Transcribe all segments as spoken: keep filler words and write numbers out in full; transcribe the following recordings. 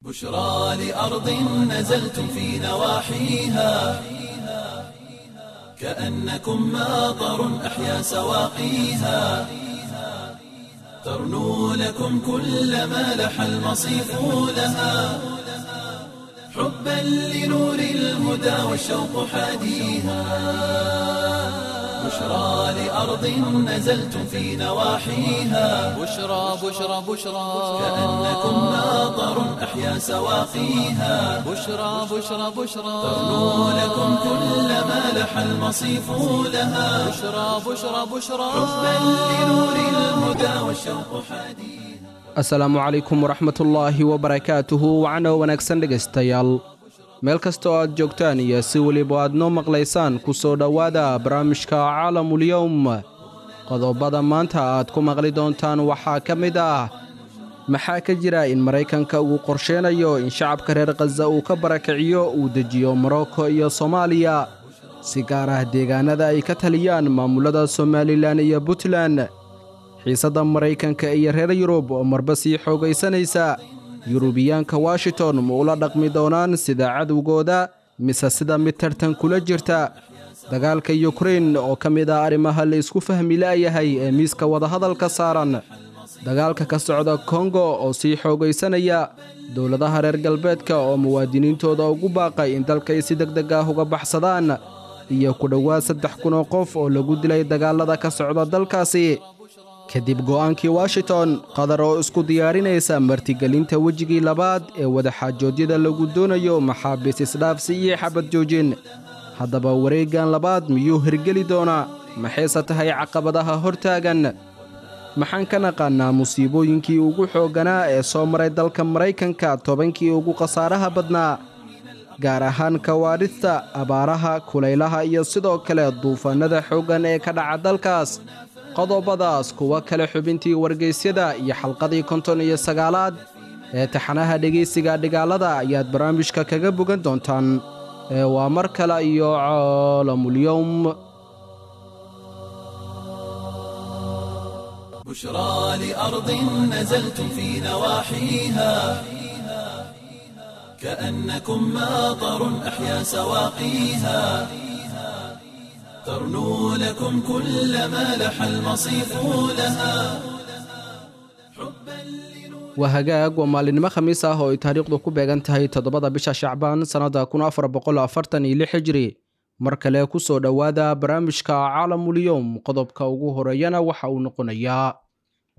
بشرى لأرض نزلتم في نواحيها، كأنكم ماطر أحيا سواقيها، ترنو لكم كل ما لح المصيف لها، حبا لنور الهدى والشوق حاديها. بشرى لأرض نزلتم في نواحيها، بشرى بشرى بشرى، كأنكم ماطر أحيا سواقيها، بشرى بشرى بشرى، ترنو لكم كل ما لح المصيف لها، بشرى بشرى بشرى، حبا لنور الهدى والشوق حديها. Asalaamu calaykum waraxmatullaahi wabarakaatuhu. Wacno wanaagsan dhegaystayaal, meel kasta oo aad joogtaan iyo si weliba aad noo maqlaysaan, ku soo dhowaada barnaamijka Caalamulyowm. Qodobada maanta aad ku maqli doontaan waxaa ka mid ah: maxaa ka jira in Maraykanka uu qorsheynayo in shacabka reer Khaza uu ka barakiciyo, uu dejiyo Morocco iyo Soomaaliya, si gaar ah deegaanada ay ka taliyaan maamulada Somalilan iyo Puntland? Xiisadda Maraykanka iyo reer Yurub oo marba sii xoogaysanaysa, Yurubiyaanka Washington ma ula dhaqmi doonaan sida cadowgooda mise sida mid tartan kula jirta? Dagaalka Yukrain oo ka mid ah arrimaha la isku fahmi la'yahay ee miiska wadahadalka saaran, dagaalka ka socda Kongo oo sii xoogaysanaya, dowladaha reer galbeedka oo muwaadiniintooda ugu baaqay in dalkay si deg deg ah uga baxsadaan, iyo ku dhowaad saddex kun oo qof oo lagu dilay dagaalada ka socda dalkaasi kadib go'aankii Washington, Qatar oo isku diyaarinaysa martigelinta wejigii labaad ee wadaxaajoodyada lagu doonayo maxaabiis isdhaafsi iyo xabad joojin. Haddaba wareeggan labaad miyuu hirgeli doonaa? Maxayse tahay caqabadaha hortaagan? Maxaan ka naqaannaa musiibooyinkii ugu xoogganaa ee soo maray dalka Maraykanka tobankii ugu khasaaraha badnaa, gaar ahaan kawaadhista, abaaraha, kulaylaha iyo sidoo kale duufaannada xooggan ee ka dhaca dalkaas? Qodobadaas, kuwo kale, xubintii wargeysyada iyo xalqadii konton iyo sagaalaad ee taxanaha dhegaysiga dhigaalada ayaad barnaamijka kaga bogan doontaan. Ee waa mar kale iyo Caalamulyowm. بشرى لأرض نزلتم في نواحيها، كأنكم ماطر أحيا سواقيها، ترنو لكم كل ما لح المصيف لها. Waa hagaag, waa maalinimo Khamiis ah oo ay taariikhdu ku beegan tahay toddobada bisha Shacbaan sannadda kun afar boqol afartan iyo lix hijri. Mar kale ku soo dhowaada barnaamijka Caalamulyowm. Qodobka ugu horeeyana waxa uu noqonayaa: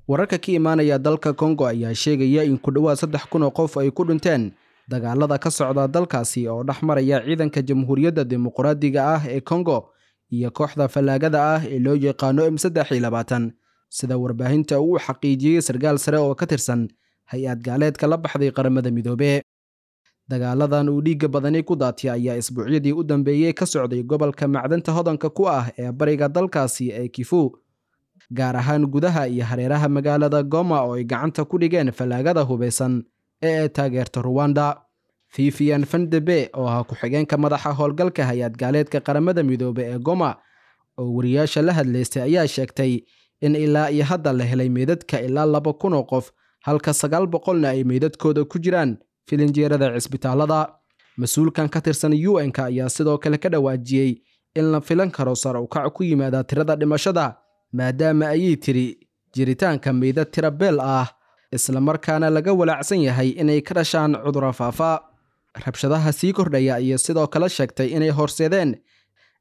wararka ka imaanaya dalka Kongo ayaa sheegaya in ku dhowaad saddex kun oo qof ay ku dhinteen dagaalada ka socda dalkaasi oo dhex maraya ciidanka Jamhuuriyadda Dimuqraadiga ah ee Kongo iyo kooxda fallaagada ah ee loo yaqaano M saddex iyo labaatan, sida warbaahinta uu xaqiijiyey sarkaal sare oo ka tirsan hay-ad gaaleedka la baxday Qaramada Midoobe. Dagaaladan uu dhiigga badani ku daatiyay ayaa isbuucyadii u dambeeyey ka socday gobolka macdanta hodanka ku ah ee bariga dalkaasi ee Kifu, gaar ahaan gudaha iyo hareeraha magaalada Goma oo ay gacanta ku dhigeen fallaagada hubeysan ee ay taageerta Ruwanda. Vivian Fandebe oo ah ku-xigeenka madaxa howlgalka hay-ad gaaleedka Qaramada Midoobe ee Goma oo wariyaasha la hadlaystay ayaa sheegtay in ilaa iyo hadda la helay meydadka ilaa laba kun oo qof, halka sagaal boqolna ay meydadkooda ku jiraan filinjeerada cisbitaalada. Mas-uulkan ka tirsan U N-ka ayaa sidoo kale ka dhawaajiyey in la filan karo sar u kac ku yimaada tirada dhimashada, maadaama ayay tiri jiritaanka meydad tira beel ah, islamarkaana laga walaacsan yahay inay ka dhashaan cudurro faafa. Rabshadaha sii kordhaya ayay sidoo kale sheegtay inay horseedeen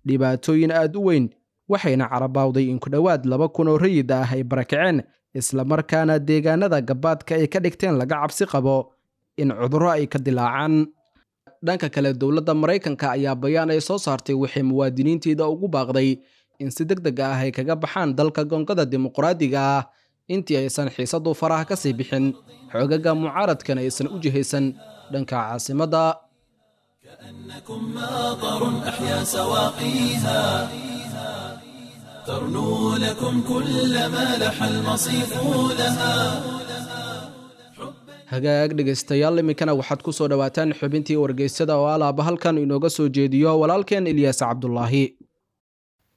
dhibaatooyin aad u weyn, waxayna carabaawday in ku dhowaad laba kun oo rayid ah ay barakaceen, islamarkaana deegaanada gabaadka ay ka dhigteen laga cabsi qabo in cudurro ay ka dilaacaan. Dhanka kale, dowladda Maraykanka ayaa bayaan ay soo saartay waxay muwaadiniinteeda ugu baaqday in si deg deg ah ay kaga baxaan dalka Gongada Dimuqraadiga ah intii aysan xiisadu faraha ka sii bixin, xoogaga mucaaradkana aysan u jihaysan dhanka caasimadda. كأنكم ماطر أحيا سواقيها، ترنو لكم كل ما لح المصيف لها. Hagaag dhegaystayaal, iminkana waxaad ku soo dhowaataan xubintii wargeysyada oo alaaba halkan inooga soo jeediyo walaalkeen Ilyaas Cabdulaahi.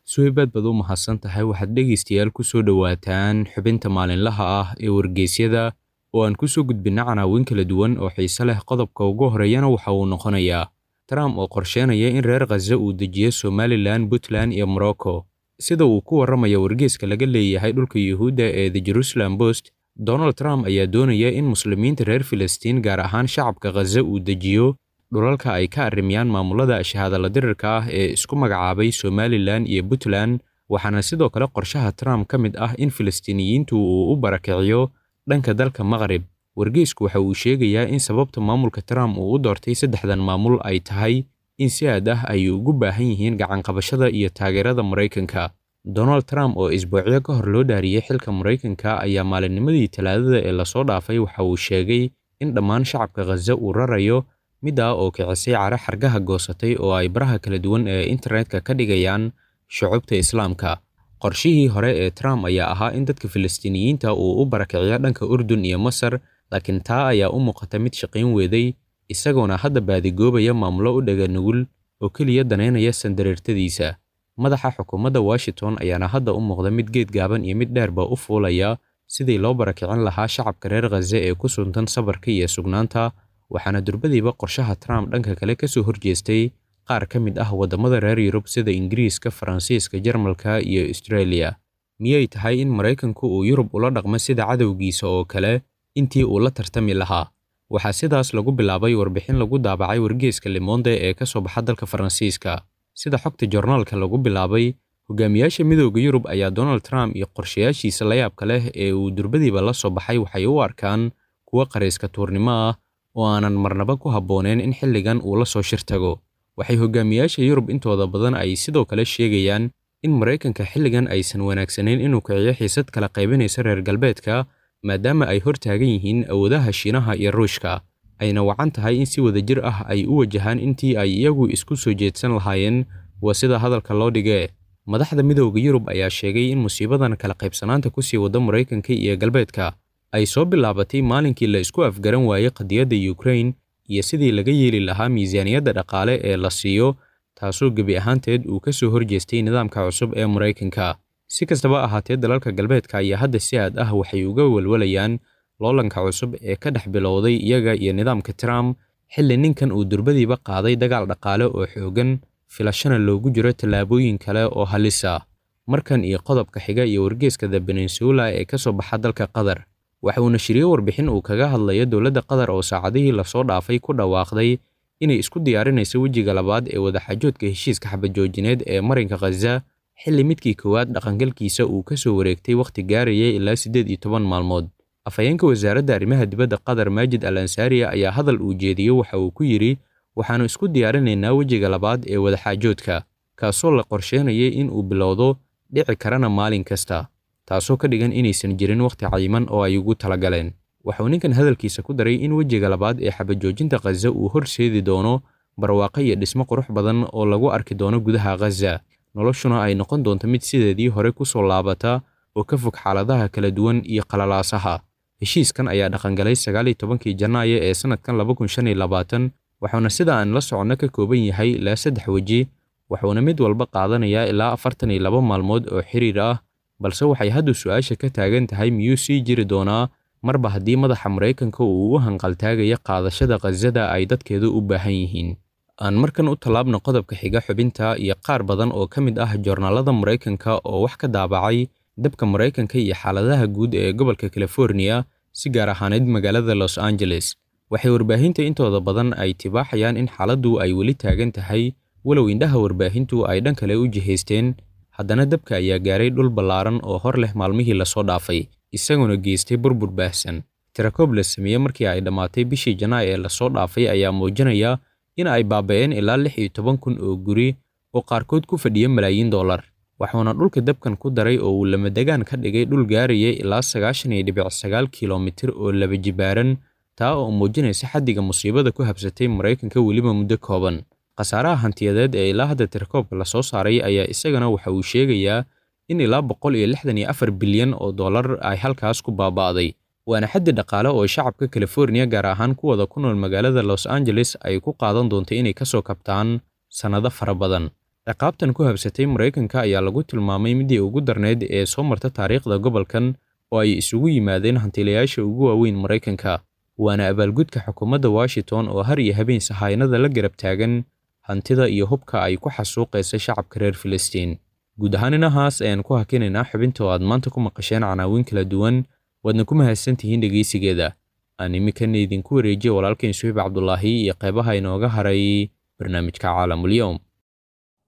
Suweybaad baad u mahadsan tahay. Waxaad dhegaystayaal ku soo dhowaataan xubinta maalinlaha ah ee wargeysyada Oo aan ku soo gudbinna canaawin kala duwan oo xiise leh. Qodobka ugu horeeyana waxa uu noqonayaa Trump oo qorsheynaya in reer Khaza uu dejiyo Somalilan, Puntland iyo Morocco. Sida uu ku warramayo wargeyska laga leeyahay dhulka Yuhuudda ee The Jerusalem Post, Donald Trump ayaa doonaya in muslimiinta reer Filistiin, gaar ahaan shacabka Khaza, uu dejiyo dhulalka ay ka arrimiyaan maamulada shahaadala dirirka ah ee isku magacaabay Somalilan iyo Puntland. Waxaana sidoo kale qorshaha Trump ka mid ah in Filistiiniyiintu uu u barakiciyo dhanka dalka Maqrib. Wargeysku waxa uu sheegayaa in sababta maamulka Trump uu u doortay saddexdan maamul ay tahay in si aad ah ay ugu baahan yihiin gacanqabashada iyo taageerada Maraykanka. Donald Trump oo isbuucyo ka hor loo dhaariyey xilka Maraykanka ayaa maalinnimadii Talaadada ee lasoo dhaafay waxa uu sheegay in dhammaan shacabka Khaza uu rarayo, middaa oo kicisay cara xargaha goosatay oo ay baraha kala duwan ee internetka ka dhigayaan shucubta Islaamka. Qorshihii hore ee Trump ayaa ahaa in dadka Filistiiniyiinta uu u barakiciyo dhanka Urdun iyo Masar, laakiin taa ayaa u muuqata mid shaqayn weeday, isagoona hadda baadigoobaya maamulo u dhaga nugul oo keliya daneynaya sandareertadiisa. Madaxa xukuumadda Washington ayaana hadda u muuqda mid geed gaaban iyo mid dheerba u fuulaya sidii loo barakicin lahaa shacabka reer Khaza ee ku suntan sabarka iyo sugnaanta. Waxaana durbadiiba qorshaha Trump dhanka kale ka soo horjeestay qaar ka mid ah waddamada reer Yurub sida Ingiriiska, Faransiiska, Jarmalka iyo Australia. Miyay tahay in Maraykanku uu Yurub ula dhaqmo sida cadowgiisa oo kale intii uu la tartami lahaa? Waxaa sidaas lagu bilaabay warbixin lagu daabacay wargeyska Le Monde ee ka soo baxa dalka Faransiiska. Sida xogta joornaalka lagu bilaabay, hogaamiyaasha Midowda Yurub ayaa Donald Trump iyo qorshayaashiisa layaabka leh ee uu durbadiiba la soo baxay waxay u arkaan kuwo qarayska tuurnimo ah oo aanan marnaba ku habbooneyn in xilligan uu la soo shir tago. Waxay hogaamiyaasha Yurub intooda badan ay sidoo kale sheegayaan in Maraykanka xilligan aysan wanaagsanayn inuu kiciyo xiisad kala qaybinaysa reer galbeedka, maadaama ay hortaagan yihiin awoodaha Shiinaha iyo Ruushka, ayna wacan tahay in si wadajir ah ay u wajahaan intii ay iyagu isku soo jeedsan lahaayeen, waa sida hadalka loo dhigee. Madaxda Midowda Yurub ayaa sheegay in musiibadan kala qaybsanaanta kusii wada Maraykanka iyo galbeedka ay soo bilaabatay maalinkii la isku afgaran waayey qadiyadda Ukraine iyo sidii laga yeeli lahaa miisaaniyadda dhaqaale ee la siiyo, taasoo gebi ahaanteed uu ka soo horjeestay nidaamka cusub ee Maraykanka. Si kastaba ahaatee, dalalka galbeedka ayaa hadda si aad ah waxay uga walwalayaan loolanka cusub ee ka dhex bilowday iyaga iyo nidaamka Trump, xilli ninkan uu durbadiiba qaaday dagaal dhaqaale oo xooggan, filashana loogu jiro tallaabooyin kale oo halis ah. Markan iyo qodobka xiga iyo wargeyska The Peninsula ee ka soo baxa dalka Qatar. Waxa uu nashriyey warbixin uu kaga hadlayo dowladda Qatar oo saacadihii lasoo dhaafay ku dhawaaqday inay isku diyaarinayso wejiga labaad ee wadaxaajoodka heshiiska xabad-joojineed ee marinka Khaza, xilli midkii koowaad dhaqangalkiisa uu ka soo wareegtay wakhti gaarayay ilaa siddeed iyo toban maalmood. Afhayeenka wasaaradda arrimaha dibadda Qatar, Maajid Al Ansaari, ayaa hadal uu jeediyey waxa uu ku yidhi: waxaannu isku diyaarinaynaa wejiga labaad ee wadaxaajoodka, kaasoo la qorsheynayay in uu bilowdo, dhici karana maalin kasta, taasoo ka dhigan inaysan jirin wakhti cayiman oo ay ugu talagaleen. Waxauu ninkan hadalkiisa ku daray in wejiga labaad ee xabad-joojinta Khaza uu horseedi doono barwaaqo iyo dhismo qurux badan oo lagu arki doono gudaha Khaza, noloshuna ay noqon doonto mid sideedii hore ku soo laabata oo ka fog xaaladaha kala duwan iyo qalalaasaha. Heshiiskan ayaa dhaqangalay sagaal iyo tobankii Janaayo ee sanadkan laba kun shan iyo labaatan, waxauna sida aan la soconno ka kooban yahay ilaa saddex weji, waxuuna mid walba qaadanayaa ilaa afartan iyo laba maalmood oo xiriir ah. Balse waxay hadda su'aasha ka taagan tahay miyuu sii jiri doonaa marba haddii madaxa Maraykanka uu u hanqaltaagaya qaadashada Khazada ay dadkeedu u baahan yihiin. Aan markan u tallaabno qodobka xiga xubinta iyo qaar badan oo ka mid ah joornaalada Maraykanka oo wax ka daabacay dabka Maraykanka iyo xaaladaha guud ee gobolka California, si gaar ahaaneed magaalada Los Angeles. Waxay warbaahinta intooda badan ay tibaaxayaan in xaaladdu ay weli taagan tahay, walow indhaha warbaahintu ay dhan kale u jihaysteen. Haddana dabka ayaa gaaray dhul ballaaran oo hor leh maalmihii lasoo dhaafay, isagoona geystay burbur baahsan. Tirakoob la sameeyey markii ay dhammaatay bishii Janaayo ee lasoo dhaafay ayaa muujinaya in ay baaba'een ilaa lix iyo toban kun oo guri oo qaarkood ku fadhiya malaayiin dollar. Waxuuna dhulka dabkan ku daray oo uu lamadegaan ka dhigay dhul gaaraya ilaa sagaashan iyo dhibic sagaal kiiloomitir oo laba jibaaran, taa oo muujinaysa xaddiga musiibada ku habsatay Maraykanka weliba muddo kooban. Khasaaraha hantiyadeed ee ilaa hadda tirakoobka lasoo saaray ayaa isagana waxa uu sheegayaa in ilaa boqol iyo lixdan iyo afar bilyan oo dollar ay halkaas ku baaba'day, waana xaddi dhaqaale oo shacabka California, gaar ahaan kuwada ku nool magaalada Los Angeles, ay ku qaadan doonto inay ka soo kabtaan sannado fara badan. Ciqaabtan ku habsatay Maraykanka ayaa lagu tilmaamay midii ugu darneyd ee soo marta taariikhda gobolkan, oo ay isugu yimaadeen hantiilayaasha ugu waaweyn Maraykanka, waana abaalgudka xukuumadda Washington oo har iyo habeen sahaynada la garab taagan hantida iyo hubka ay ku xasuuqaysa shacabka reer Filistiin. Guud ahaan inahaas ayaan ku hakinaynaa xubinta oo aad maanta ku maqasheen canaawin kala duwan, waadna ku mahadsantihiin dhegeysigeeda. Aan iminkana idinku wareejiyo walaalkayn Suhayb Cabdulaahi iyo qeybaha inooga haray barnaamijka Caalamul-Yowm.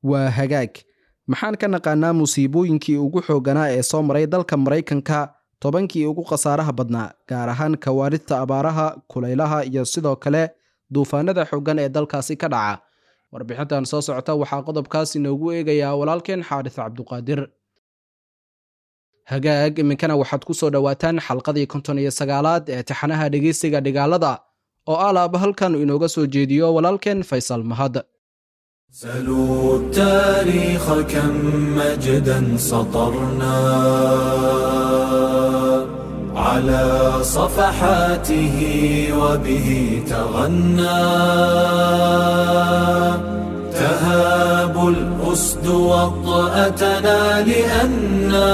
Waa hagaag. Maxaan ka naqaanaa musiibooyinkii ugu xoogganaa ee soo maray dalka Maraykanka tobankii ugu khasaaraha badnaa, gaar ahaan kawaaridta abaaraha, kulaylaha iyo sidoo kale duufaanada xooggan ee dalkaasi ka dhaca? Warbixintan soo socota waxaa qodobkaas inoogu eegayaa walaalkeen Xaadis Cabduqaadir. Hagaag, iminkana waxaad ku soo dhowaataan xalqadii konton iyo sagaalaad ee taxanaha dhegeysiga dhigaalada oo alaaba halkan inooga soo jeediyo walaalkeen Faysal Mahad. سلوا التاريخ كم مجدا سطرنا على صفحاته وبه تغنى تهاب الأسد وطأتنا لأنا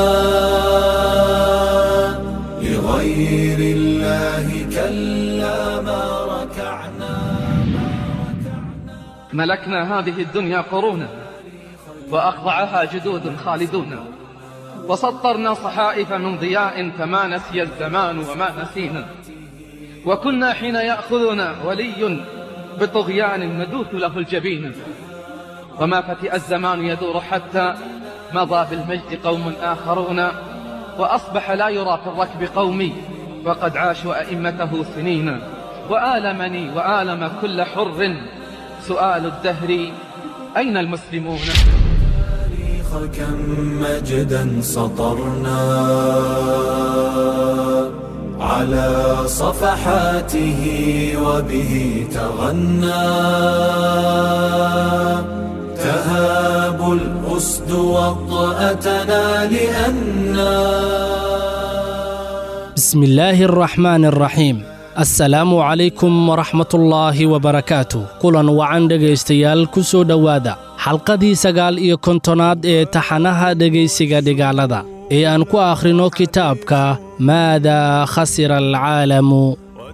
لغير الله كلا ما ركعنا. ملكنا هذه الدنيا قرونا وأخضعها جدود خالدون، وسطرنا صحائف من ضياء فما نسي الزمان وما نسينا، وكنا حين يأخذنا ولي بطغيان ندوث له الجبين، وما فتئ الزمان يدور حتى مضى بالمجد قوم آخرون، وأصبح لا يرى في الركب قومي وقد عاشوا أئمته سنين. وآلمني وآلم كل حر سؤال الدهر أين المسلمون؟ كم مجدا سطرنا على صفحاته وبه تغنى تهاب الأسد وطأتنا لأنا. بسم الله الرحمن الرحيم. Assalaamu calaykum waraxmatullaahi wabarakaatu. Kulan wacan dhegaystayaal, ku soo dhowaada xalqadii sagaal iyo kontonaad ee taxanaha dhegaysiga dhigaalada ee aan ku akhrino kitaabka Maadaa khasira alcaalamu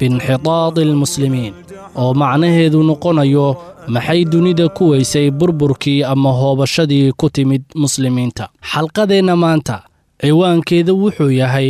biinxitaadi almuslimiin, oo macnaheedu noqonayo maxay dunida ku weysay burburkii ama hoobashadii ku timid muslimiinta. Xalqadeenna maanta ciwaankeedu wuxuu yahay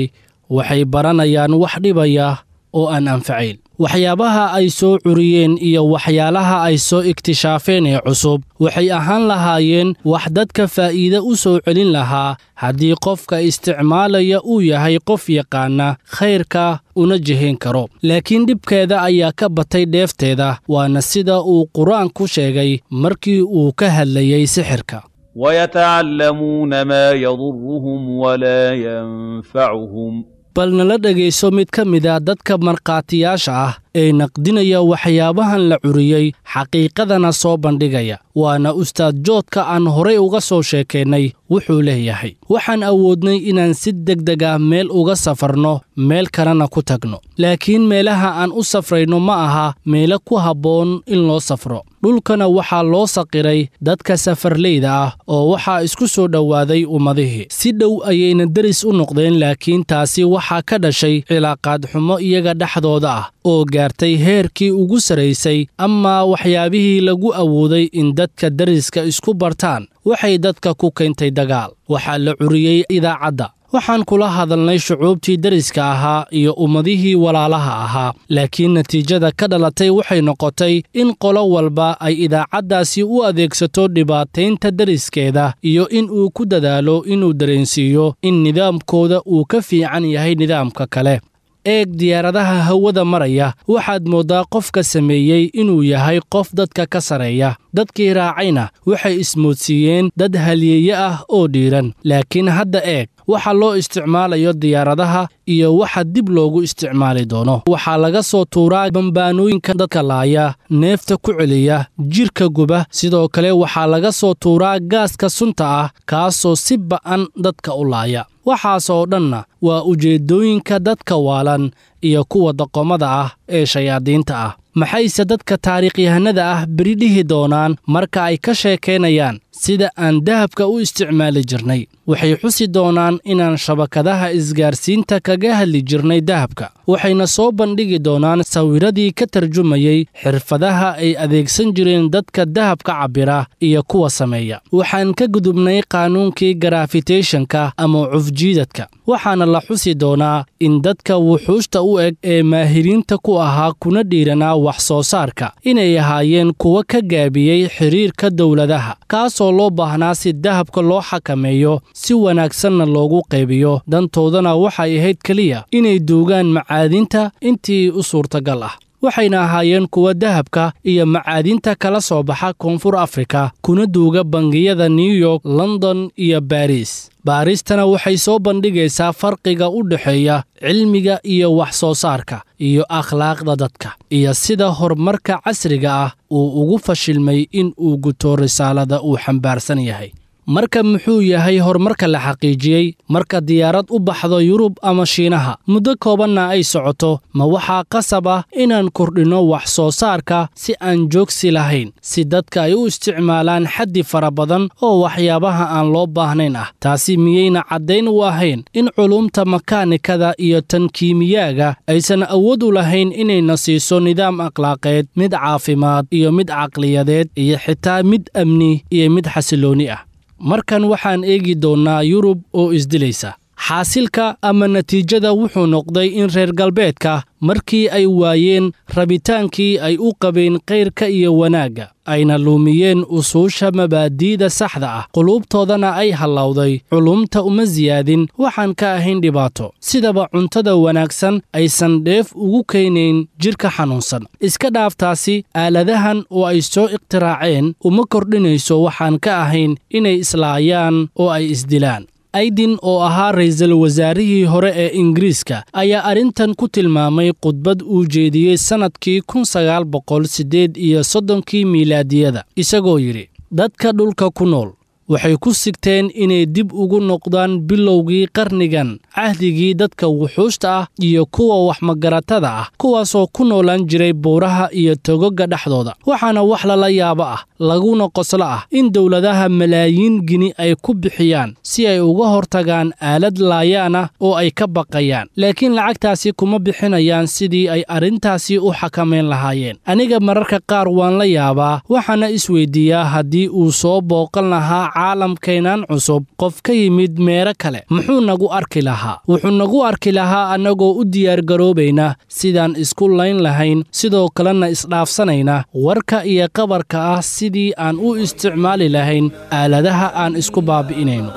waxay baranayaan wax dhibaya oo aan anfacayn. Waxyaabaha ay soo curiyeen iyo waxyaalaha ay soo iktishaafeen ee cusub waxay ahaan lahaayeen wax dadka faa'iide u soo celin lahaa haddii qofka isticmaalaya uu yahay qof yaqaana khayrka una jihayn karo. Laakiin dhibkeeda ayaa ka batay dheefteeda, waana sida uu Qur-aanku sheegay markii uu ka hadlayay sixirka. ويتعلمون ما يضرهم ولا ينفعهم. Bal nala dhegayso mid ka mid a dadka markhaatiyaasha ah ee naqdinaya waxyaabahan la curiyey, xaqiiqadana soo bandhigaya, waana ustaad Joodka aan horay uga soo sheekaynay. Wuxuu leeyahay: waxaan awoodnay inaan si degdeg ah meel uga safarno, meel kalena ku tagno, laakiin meelaha aan u safrayno ma aha meelo ku habboon in loo safro. Dhulkana waxaa loo saqiray dadka safarleyda ah oo waxaa isku soo dhowaaday ummadihii, si dhow ayayna deris u noqdeen, laakiin taasi waxaa ka dhashay cilaaqaad xumo iyaga dhexdooda ah oo gaartay heerkii ugu saraysay. Amaa waxyaabihii lagu awooday in dadka deriska isku bartaan waxay dadka ku keentay dagaal. Waxaa la curiyey idaacadda. Waxaan kula hadalnay shucuubtii deriska ahaa iyo ummadihii walaalaha ahaa, laakiin natiijada ka dhalatay waxay noqotay in qolo walba ay idaacaddaasi u adeegsato dhibaataynta deriskeeda iyo in uu ku dadaalo inuu dareensiiyo in nidaamkooda uu ka fiican yahay nidaamka kale. Eeg diyaaradaha hawada maraya, waxaad mooddaa qofka sameeyey inuu yahay qof dadka ka sareeya. Dadkii raacayna waxay ismoodsiiyeen dad halyeeye ah oo dhiiran. Laakiin hadda eeg waxa loo isticmaalayo diyaaradaha iyo waxa dib loogu isticmaali doono. Waxaa laga soo tuuraa bambaanooyinka dadka laaya, neefta ku celiya, jirka guba. Sidoo kale waxaa laga soo tuuraa gaaska sunta ah, kaasoo si ba'an dadka u laaya. Waxaasoo dhanna waa ujeeddooyinka dadka waalan iyo kuwa doqomada ah ee shayaadiinta ah. Maxayse dadka taariikhyahanada ah beri dhihi doonaan marka ay ka sheekaynayaan sida aan dahabka u isticmaali jirnay. Waxay xusi doonaan inaan shabakadaha isgaarsiinta kaga hadli jirnay dahabka, waxayna soo bandhigi doonaan sawiradii ka tarjumayey xirfadaha ay adeegsan jireen dadka dahabka cabbira iyo kuwa sameeya. Waxaan ka gudubnay qaanuunkii gravitationka ama cufjiidadka, waxaana la xusi doonaa in dadka wuxuushta u eg ee maahiriinta ku ahaa kuna dhiiranaa wax soo saarka inay ahaayeen kuwa ka gaabiyey xiriirka dowladaha, kaasoo loo baahnaa si dahabka loo xakameeyo si wanaagsanna loogu qaybiyo. Dantoodana waxay ahayd keliya inay duugaan macaadinta intii u suurtagal ah, waxayna ahaayeen kuwa dahabka iyo macaadinta kala soo baxa Koonfur Afrika kuna duuga bangiyada New York, London iyo Baariis. Baaristana waxay soo bandhigaysaa farqiga u dhexeeya cilmiga iyo wax soo saarka iyo akhlaaqda dadka, iyo sida horumarka casriga ah uu ugu fashilmay in uu guto risaalada uu xambaarsan yahay. Marka muxuu yahay horumarka la xaqiijiyey? Marka diyaarad u baxdo Yurub ama Shiinaha muddo koobanna ay socoto, ma waxaa qasab ah inaan kordhinno wax soo saarka si aan joogsi lahayn, si dadka ay u isticmaalaan xaddi fara badan oo waxyaabaha aan loo baahnayn ah? Taasi miyayna caddayn u ahayn in culumta makaanikada iyo tan kiimiyaaga aysan awood u lahayn inayna siiso nidaam akhlaaqeed, mid caafimaad iyo mid caqliyadeed, iyo xitaa mid amni iyo mid xasilooni ah? Markan waxaan eegi doonnaa Yurub oo isdilaysa. Xaasilka ama natiijada wuxuu noqday in reer galbeedka markii ay waayeen rabitaankii ay u qabeen khayrka iyo wanaagga, ayna luumiyeen usuusha mabaadi'da saxda ah, quluubtoodana ay hallowday, culumta uma siyaadin waxaan ka ahayn dhibaato, sidaba cuntada wanaagsan aysan dheef ugu keenayn jidhka xanuunsan. Iska dhaaftaasi aaladahan oo ay soo ikhtiraaceen uma kordhinayso waxaan ka ahayn inay islaayaan oo ay isdilaan. Aydin oo ahaa ra'iisul wasaarihii hore ee Ingiriiska ayaa arrintan ku tilmaamay khudbad uu jeediyey sannadkii kun sagaal boqol siddeed iyo soddonkii miilaadiyada, isagoo yidhi: dadka dhulka ku nool waxay ku sigteen inay dib ugu noqdaan bilowgii qarnigan, cahdigii dadka wuxuushta ah iyo kuwa waxmagaratada ah, kuwaasoo ku noolaan jiray buuraha iyo togoga dhexdooda. Waxaana wax lala yaabo ah laguna qoslo ah in dowladaha malaayiin gini ay ku bixiyaan si ay uga hortagaan aalad laayaan ah oo ay ka baqayaan, laakiin lacagtaasi kuma bixinayaan sidii ay arrintaasi u xakamayn lahaayeen. Aniga mararka qaar waan la yaabaa, waxaana isweydiiyaa haddii uu soo booqan lahaa caalamkeenan cusub qof ka yimid meero kale, muxuu nagu arki lahaa? Wuxuu nagu arki lahaa annagoo u diyaargaroobayna sidaan isku layn lahayn, sidoo kalena isdhaafsanayna warka iyo qabarka ah sidii aan u isticmaali lahayn aaladaha aan isku baabi'inayno.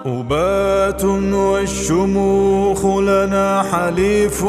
أبات والشموخ لنا حليف.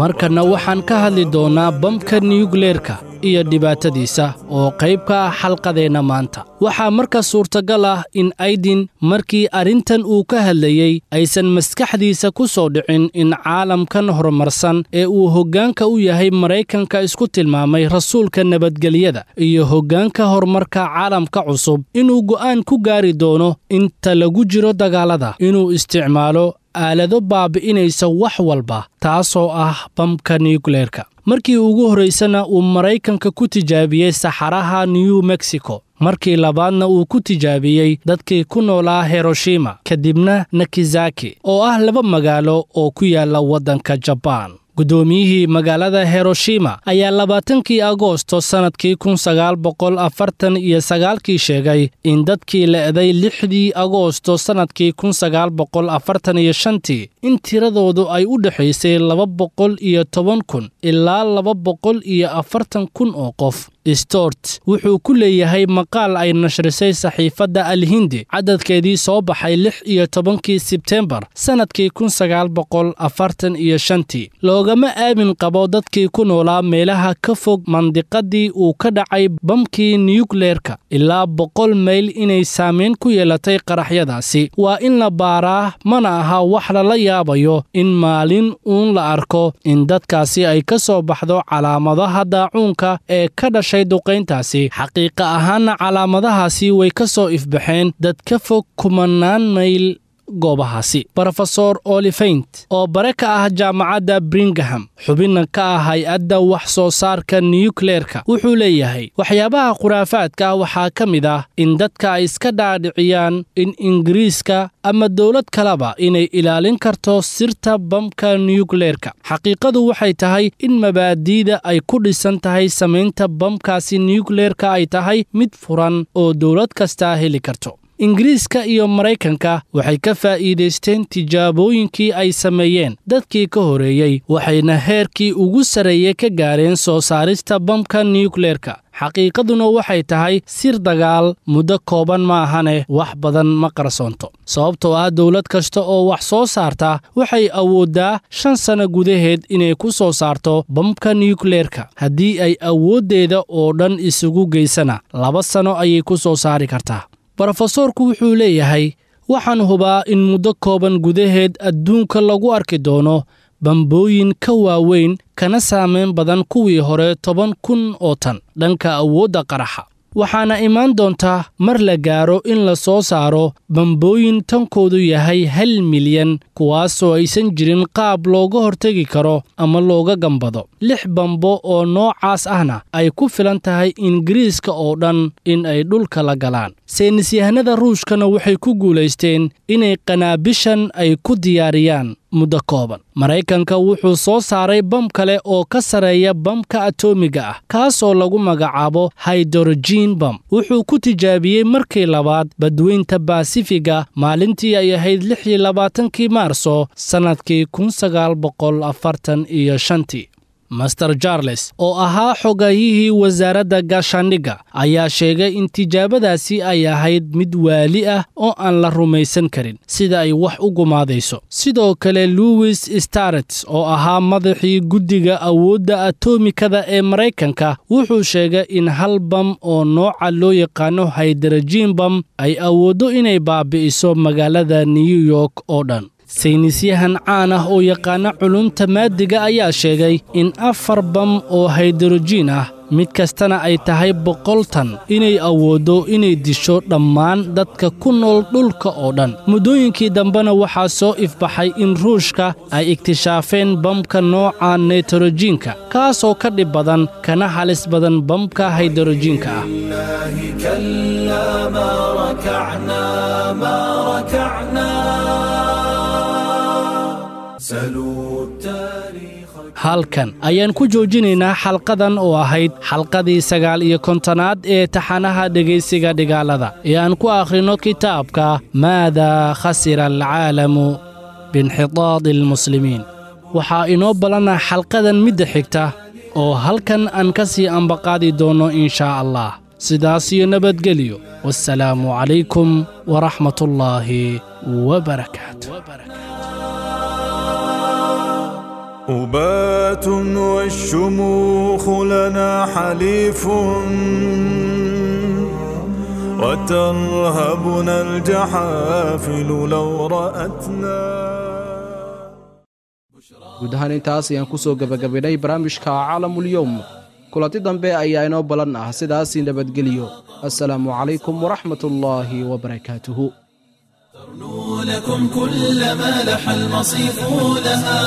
Markana waxaan ka hadli doonnaa bamka niyukleerka iyo dhibaatadiisa oo qayb ka ah xalqadeenna maanta. Waxaa marka suurtagal ah in Aydin markii arrintan uu ka hadlayey aysan maskaxdiisa ku soo dhicin in caalamkan horumarsan ee uu hoggaanka u yahay Maraykanka isku tilmaamay rasuulka nabadgelyada iyo hoggaanka horumarka caalamka cusub inuu go'aan ku gaari doono inta lagu jiro dagaalada inuu isticmaalo aalado baabi'inaysa wax walba, taasoo ah bamka niyukleerka. Markii ugu horraysana uu Maraykanka ku tijaabiyey saxaraha New Mexico, markii labaadna uu ku tijaabiyey dadkii ku noolaa Hiroshima, kadibna Nakizaki oo ah laba magaalo oo ku yaalla waddanka Jabaan. Guddoomiyihii magaalada Hiroshima ayaa labaatankii Agoosto sannadkii kun sagaal boqol afartan iyo sagaalkii sheegay in dadkii le'day lixdii Agoosto sannadkii kun sagaal boqol afartan iyo shantii in tiradoodu ay u dhexaysay laba boqol iyo toban kun ilaa laba boqol iyo afartan kun oo qof. Stort wuxuu ku leeyahay maqaal ay nashrisay saxiifadda Alhindi cadadkeedii soo baxay lix iyo tobankii Sebtembar sannadkii kun sagaal boqol afartan iyo shantii. Loogama aamin qabo dadkii ku noolaa meelaha ka fog mandiqadii uu ka dhacay bamkii niyukleerka ilaa boqol mayl inay saameyn ku yeelatay qaraxyadaasi. Waa in la baaraa, mana aha wax lala yaabayo in maalin uun la arko in dadkaasi ay ka soo baxdo calaamadaha daacuunka ee ka dhashay duqayntaasi. Xaqiiqa ahaanna calaamadahaasi way ka soo ifbaxeen dad ka fog kumanaan mayl goobahaasi. Brofesor Olifaint oo bare ka ah jaamacadda Birmingham, xubinna ka ah hay-adda wax soo saarka niyukleerka, wuxuu leeyahay waxyaabaha khuraafaadka ah waxaa ka mid ah in dadka ay iska dhaadhiciyaan in Ingiriiska ama dowlad kaleba inay ilaalin karto sirta bamka niyukleerka. Xaqiiqadu waxay tahay in mabaadi'da ay ku dhisan tahay samaynta bamkaasi niyukleerka ay tahay mid furan oo dowlad kastaa heli karto. Ingiriiska iyo Maraykanka waxay ka faa'iidaysteen tijaabooyinkii ay sameeyeen dadkii ka horeeyey, waxayna heerkii ugu sarreeyey ka gaareen soo saarista bamka niyukleerka. Xaqiiqaduna waxay tahay sir dagaal muddo kooban ma ahane wax badan ma qarsoonto, sababtoo ah dowlad kasta oo wax soo saarta waxay awooddaa shan sano gudaheed inay ku soo saarto bamka niyukleerka. Haddii ay awooddeeda oo dhan isugu geysana, laba sano ayay ku soo saari kartaa. Brofesoorku wuxuu leeyahay waxaan hubaa in muddo kooban gudaheed adduunka lagu arki doono bambooyin ka waaweyn kana saameyn badan kuwii hore toban kun oo tan dhanka awoodda qaraxa. Waxaana imaan doontaa mar la gaaro in la soo saaro bambooyin tankoodu yahay hal milyan, kuwaasoo aysan jirin qaab looga hortegi karo ama looga gambado. Lix bambo oo noocaas ahna ay ku filan tahay Ingiriiska oo dhan in ay dhulka la galaan. Saynisyahanada Ruushkana waxay ku guulaysteen inay qanaabishan ay ku diyaariyaan muddo kooban. Maraykanka wuxuu soo saaray bam kale oo ka sareeya bamka atoomiga ah, kaasoo lagu magacaabo hydrogen bam. Wuxuu ku tijaabiyey markii labaad badweynta Baasifiga maalintii ay ahayd lix iyo labaatankii Maarso sannadkii kun sagaal boqol afartan iyo shantii. Master Charles oo ahaa xogayihii wasaaradda gaashaandhigga ayaa sheegay in tijaabadaasi ay ahayd mid waali ah oo aan la rumaysan karin sida ay wax u gumaadayso. Sidoo kale Louis Starrett oo ahaa madaxii guddiga awoodda atomikada ee Maraykanka wuxuu sheegay in hal bam oo nooca loo yaqaano hydrogen bam ay awooddo inay baabi'iso magaalada New York oo dhan. Saynisyahan caan ah oo yaqaana culumta maadiga ayaa sheegay in afar bam oo hydrogen ah mid kastana ay tahay boqol tan inay awooddo inay disho dhammaan dadka ku nool dhulka oo dhan. Muddooyinkii dambena waxaa soo ifbaxay in Ruushka ay iktishaafeen bamka nooca nitrojiinka, kaasoo ka dhib badan kana halis badan bamka hydrojiinka ah. Halkan ayaan ku joojinaynaa xalqadan oo ahayd xalqadii sagaal iyo kontonaad ee taxanaha dhegaysiga dhigaalada ee aan ku akhrino kitaabka Maada khasira alcaalamu biinxitaadi almuslimiin. Waxaa inoo balana xalqadan midda xigta oo halkan aan ka sii ambaqaadi doono inshaa Allah. Sidaas iyo nabadgelyo. Wassalaamu calaykum waraxmatullaahi wabarakaatu. أبات والشموخ لنا حليف، وترهبنا الجحافل لو رأتنا. Guud ahaan intaas ayaan ku soo gabagabaynay barnaamijka Caalamul Yowm. Kulanti dambe ayaa inoo balan ah, sidaas nabadgeliyo. Assalaamu calaykum waraxmatullaahi wabarakaatuhu. لكم كل ما لح المصيف لها.